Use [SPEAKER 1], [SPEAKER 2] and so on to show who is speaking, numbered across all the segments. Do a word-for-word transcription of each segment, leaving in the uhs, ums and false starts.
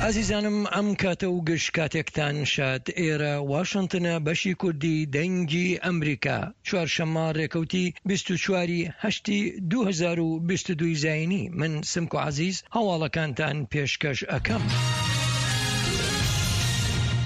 [SPEAKER 1] ئازیزانم ئەم کاتە و گشت کاتێکتان شاد. ئێرە واشنتنە، بەشی کوردی دەنگی ئەمریکا، چوارشەممە ڕێکەوتی بیست و چوار ی هەشتی دوو هەزار و بیست و دوو زایینی، من سمکۆ عەزیز هەواڵەکانتان پێشکەش ئەکەم.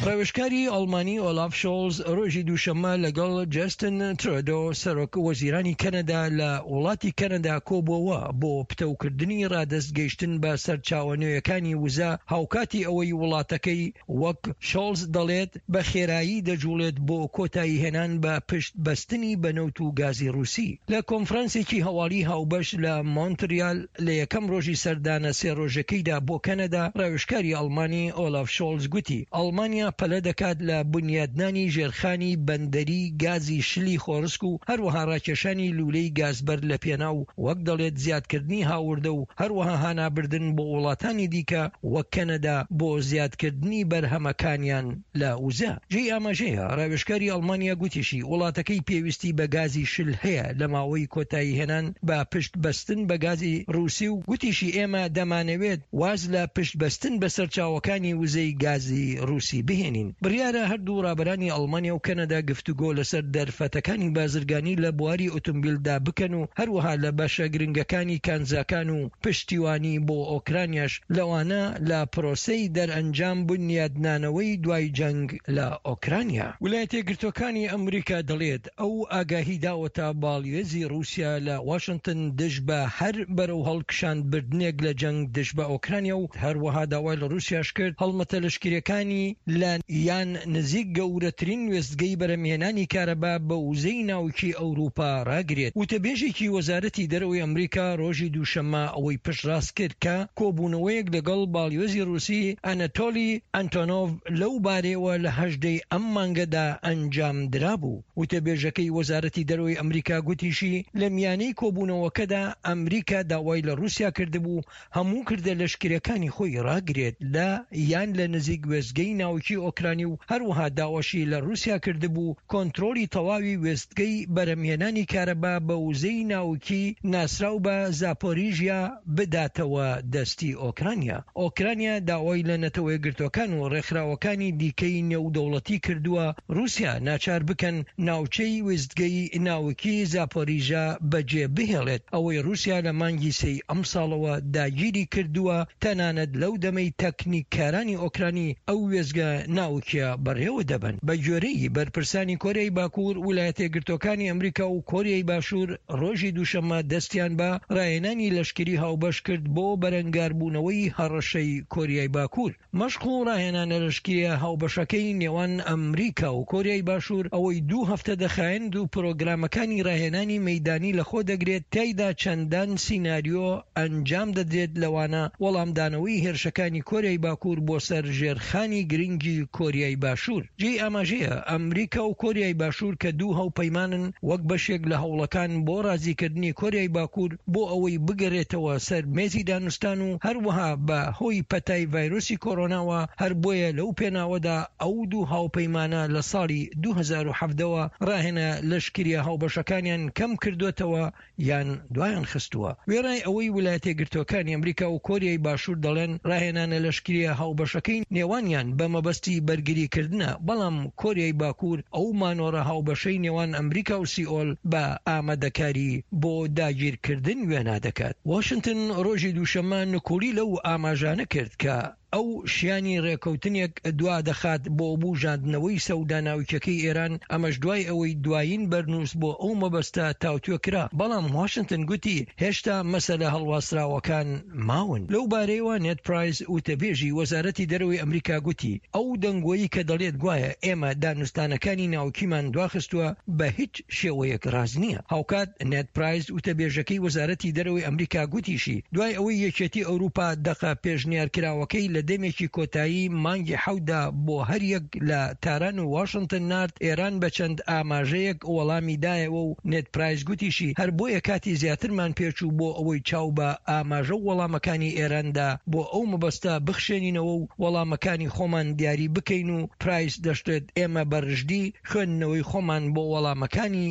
[SPEAKER 1] ڕاوێژکاری ئەڵمانی ئۆلاف شۆڵز ڕۆژی دووشەممە لەگەڵ جەستن ترۆدۆ سەرۆک وەزیرانی کەنەدا لە وڵاتی کەنەدا کۆبووەوە بۆ پتەوکردنی ڕادەست گەیشتن بە سەرچاوە نوێیەکانی وزە، هاوکاتی ئەوەی وڵاتەکەی وەک شۆڵز دەڵێت بە خێرایی دەجوڵێت بۆ کۆتاییهێنان بە پشت بەستنی بە نەوت و گازی ڕووسی. لە کۆنفرانسێکی هەواڵی هاوبەش لە مۆنتریال لە یەکەم ڕۆژی سەردانە سێ ڕۆژەکەیدا بۆ کەنەدا، ڕاوێژکاری ئەڵمانی ئۆلاف شۆڵز گوتی ئەڵمانیا پەلە دەکات لە بونیادنانی ژێرخانی بەندەری گازی شلی خۆڕسک و هەروەها ڕاکێشانی لوولەی گازبەر لە پێناو وەک دەڵێت زیادکردنی هاوردە و هەروەها هانابردن بۆ وڵاتانی دیکە وەک کەنەدا بۆ زیادکردنی بەرهەمەکانیان لە وزە. جێی ئاماژەیە ڕاوێژکاری ئەڵمانیا گوتیشی وڵاتەکەی پێویستی بە گازی شل هەیە لە ماوەی کۆتاییهێنان بە پشت بەستن بە گازی ڕووسی و گوتیشی ئێمە دەمانەوێت واز لە پشت بەستن بە سەرچاوەکانی وزەی گازی ڕووسی بهێنین. بڕیارە هەردوو ڕابەرانی ئەڵمانیا و کەنەدا گفتوگۆ لەسەر دەرفەتەکانی بازرگانی لە بواری ئۆتۆمبیلدا بکەن و هەروەها لە بەشە گرنگەکانی کانزاکان و پشتیوانی بۆ ئۆکرانیاش، لەوانە لە پرۆسەی دەرئەنجام بونیادنانەوەی دوای جەنگ لە ئۆکرانیا. ویلایەتەیەکگرتووەکانی ئەمریکا دەڵێت، ئەو ئاگاهی داوەتە باڵیۆزی ڕووسیا لە واشنتن دژ بە هەر بەرەو هەڵکشان بردنێک لە جەنگ دژ بە ئۆکرانیا و هەروەها داوای لە ڕووسیاش کرد هەڵمەتە لەشکرییەکانی لە یان نزیک گەورەترین وێستگەی بەرهەمهێنانی کارەبا بە وزەی ناوکی ئەوروپا ڕاگرێت. وتەبێژێکی وەزارەتی دەرەوەی ئەمریکا ڕۆژی دووشەممە ئەوەی پشتڕاست کرد کە کۆبوونەوەیەک لەگەڵ باڵیۆزی ڕووسی ئەنەتۆلی ئەنتۆنۆڤ لەو بارەیەوە لە هەژدە ی ئەم مانگەدا ئەنجامدرابوو. وتەبێژەکەی وەزارەتی دەرەوەی ئەمریکا گوتیشی، لە میانەی کۆبوونەوەکەدا ئەمریکا داوای لە ڕووسیا کردبوو هەموو کردە لەشکرییەکانی خۆی ڕاگرێت لە یان لە نزیک وێستگەی ناوکی ئۆکرانی و هەروەها داواشی لە ڕووسیا کردبوو کۆنترۆڵی تەواوی وێستگەی بەرهەمهێنانی کارەبا بە وزەی ناوکی ناسراو بە زاپۆریژیا بداتەوە دەستی ئۆکرانیا. ئۆکرانیا داوای لە نەتەوەیەکگرتووەکان و ڕێکخراوەکانی دیکەی نێودەوڵەتی کردووە ڕووسیا ناچار بکەن ناوچەی وێستگەی ناوکی زاپۆریژا بەجێ بهێڵێت، ئەوەی ڕووسیا لە مانگی سێی ئەمساڵەوە داگیری کردووە، تەنانەت لەو دەمەی تەکنیککارانی ئۆکرانی ئەو وێستگە ناوکیە بەڕێوە دەبەن. بەگوێرەی بەرپرسانی کۆریای باکوور، ویلایەتەیەکگرتووەکانی ئەمریکا و کۆریای باشوور ڕۆژی دووشەممە دەستیان بە ڕاهێنانی لەشکری هاوبەش کرد بۆ بەرەنگاربوونەوەی هەڕەشەی کۆریای باکوور. مەشق و ڕاهێنانە لەشکرییە هاوبەشەکەی نێوان ئەمریکا و کۆریای باشوور ئەوەی دوو هەفتە دەخایەند و پرۆگرامەکانی ڕاهێنانی مەیدانی لەخۆ دەگرێت، تیایدا چەندان سیناریۆ ئەنجام دەدرێت لەوانە وەڵامدانەوەی هێرشەکانی کۆریای باکوور بۆ سەر ژێرخانی گرنگی کۆریای باشوور. جێی ئاماژەیە ئەمریکا و کۆریای باشوور کە دوو هاوپەیمانن وەک بەشێک لە هەوڵەکان بۆ ڕازیکردنی کۆریای باکوور بۆ ئەوەی بگەرێتەوە سەر مێزی دانوستان و هەروەها بە هۆی پەتای ڤایرۆسی کۆرۆناوە هەر بۆیە لەو پێناوەدا ئەو دوو هاوپەیمانە لە ساڵی دوو هەزار و حەڤدە وە ڕاهێنە لەشکریە هاوبەشەکانیان کەم کردۆتەوە یان دوایان خستووە. وێڕای ئەوەی ولایەتەیەکگرتووەکانی ئەمریکا و کۆریای باشوور دەڵێن ڕاهێنانە لەشکریە هاوبەشەکەی نێوانیان بە مەبەستی بەرگریکردنە، بەڵام کۆریای باکوور ئەو مانۆڕە هاوبەشەی نێوان ئەمریکا و سیئۆل بە ئامادەکاری بۆ داگیرکردن وێنا دەکات. واشنتن ڕۆژی دووشەممە نکوڵی لەو ئاماژانە کرد کە ئەو شیانی ڕێکەوتنێک دوا دەخات بۆ بوژاندنەوەی سەودا ناوکیەکەی ئێران، ئەمەش دوای ئەوەی دوایین بەرنووس بۆ ئەو مەبەستە تاوتوێ کرا، بەڵام واشنتن گوتی هێشتا مەسەلە هەڵواسراوەکان ماون. لەو بارەیەوە نێد پرایس وتەبێژی وەزارەتی دەرەوەی ئەمریکا گوتی ئەو دەنگۆیەی کە دەڵێت گوایە ئێمە دانوستانەکانی ناوکیمان دواخستووە بە هیچ شێوەیەک ڕاست نییە. هاوکات نێد پرایس وتەبێژەکەی وەزارەتی دەرەوەی ئەمریکا گوتیشی دوای ئەوەی یەکێتی ئەوروپا دەقە پێشنیارکراوەکەی لە دەمێکی کۆتایی مانگی حەوتدا بۆ هەریەک لە تاران و واشنتن نارد، ئێران بە چەند ئاماژەیەک وەڵامی دایەوە و نێد پرایس گوتیشی هەر بۆیە کاتی زیاترمان پێچوو بۆ ئەوەی چاو بە ئاماژە و وەڵامەکانی ئێراندا بۆ ئەو مەبەستە بخشێنینەوە و وەڵامەکانی خۆمان دیاری بکەین و پرایس دەشڵێت ئێمە بە رژدی خوێندنەوەی خۆمان بۆ وەڵامەکانی